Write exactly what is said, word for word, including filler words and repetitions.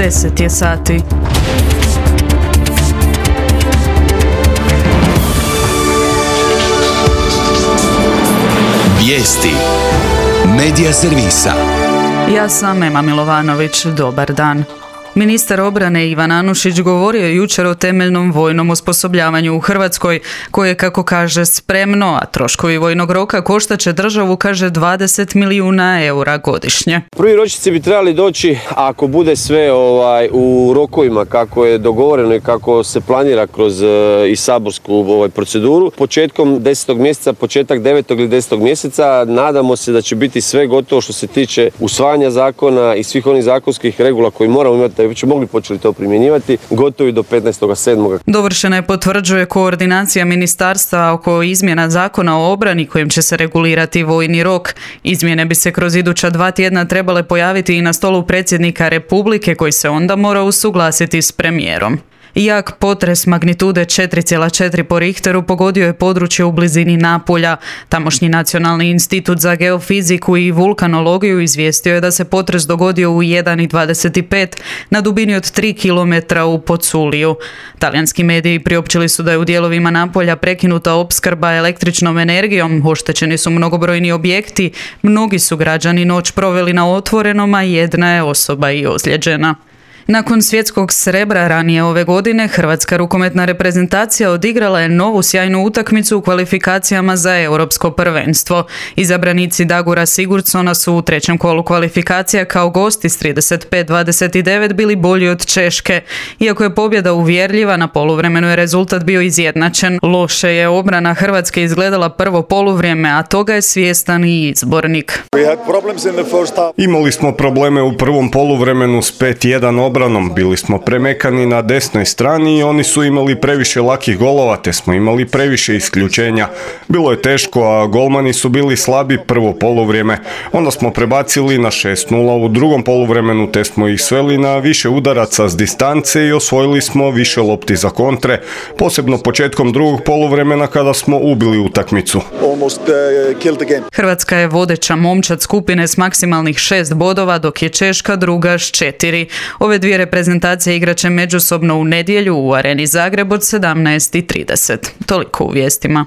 deset je sati. Vijesti Medija servisa. Ja sam Ema Milovanović, dobar dan. Ministar obrane Ivan Anušić govorio je jučer o temeljnom vojnom osposobljavanju u Hrvatskoj, koje, kako kaže, spremno, a troškovi vojnog roka koštaće državu, kaže, dvadeset milijuna eura godišnje. Prvi ročnici bi trebali doći, ako bude sve ovaj, u rokovima kako je dogovoreno i kako se planira kroz uh, i saborsku ovaj, proceduru. Početkom desetog mjeseca, početak devetog ili desetog mjeseca, nadamo se da će biti sve gotovo što se tiče usvajanja zakona i svih onih zakonskih regula koji moramo imati da bi će mogli počeli to primjenjivati, gotovi do petnaestog sedmog Dovršena je, potvrđuje, koordinacija ministarstva oko izmjena zakona o obrani kojim će se regulirati vojni rok. Izmjene bi se kroz iduća dva tjedna trebale pojaviti i na stolu predsjednika Republike, koji se onda mora usuglasiti s premijerom. Jak potres magnitude četiri zarez četiri po Richteru pogodio je područje u blizini Napulja. Tamošnji Nacionalni institut za geofiziku i vulkanologiju izvijestio je da se potres dogodio u jedan i dvadeset pet na dubini od tri kilometra u Poculiju. Talijanski mediji priopćili su da je u dijelovima Napulja prekinuta opskrba električnom energijom, oštećeni su mnogobrojni objekti, mnogi su građani noć proveli na otvorenom, a jedna je osoba i ozlijeđena. Nakon svjetskog srebra ranije ove godine, hrvatska rukometna reprezentacija odigrala je novu sjajnu utakmicu u kvalifikacijama za europsko prvenstvo. Izabranici Dagura Sigurdsona su u trećem kolu kvalifikacija kao gosti s trideset pet dvadeset devet bili bolji od Češke. Iako je pobjeda uvjerljiva, na poluvremenu je rezultat bio izjednačen. Loše je obrana Hrvatske izgledala prvo poluvrijeme, a toga je svjestan i izbornik. Imali smo probleme u prvom poluvremenu s pet jedan obranom, bili smo premekani na desnoj strani i oni su imali previše lakih golova, te smo imali previše isključenja. Bilo je teško, a golmani su bili slabi prvo poluvrijeme. Onda smo prebacili na šest nula u drugom poluvremenu, te smo ih sveli na više udaraca s distance i osvojili smo više lopti za kontre, posebno početkom drugog poluvremena kada smo ubili utakmicu. Hrvatska je vodeća momčad skupine s maksimalnih šest bodova, dok je Češka druga s četiri. Ove dvije reprezentacije igraće međusobno u nedjelju u Areni Zagreb od sedamnaest i trideset. Toliko u vijestima.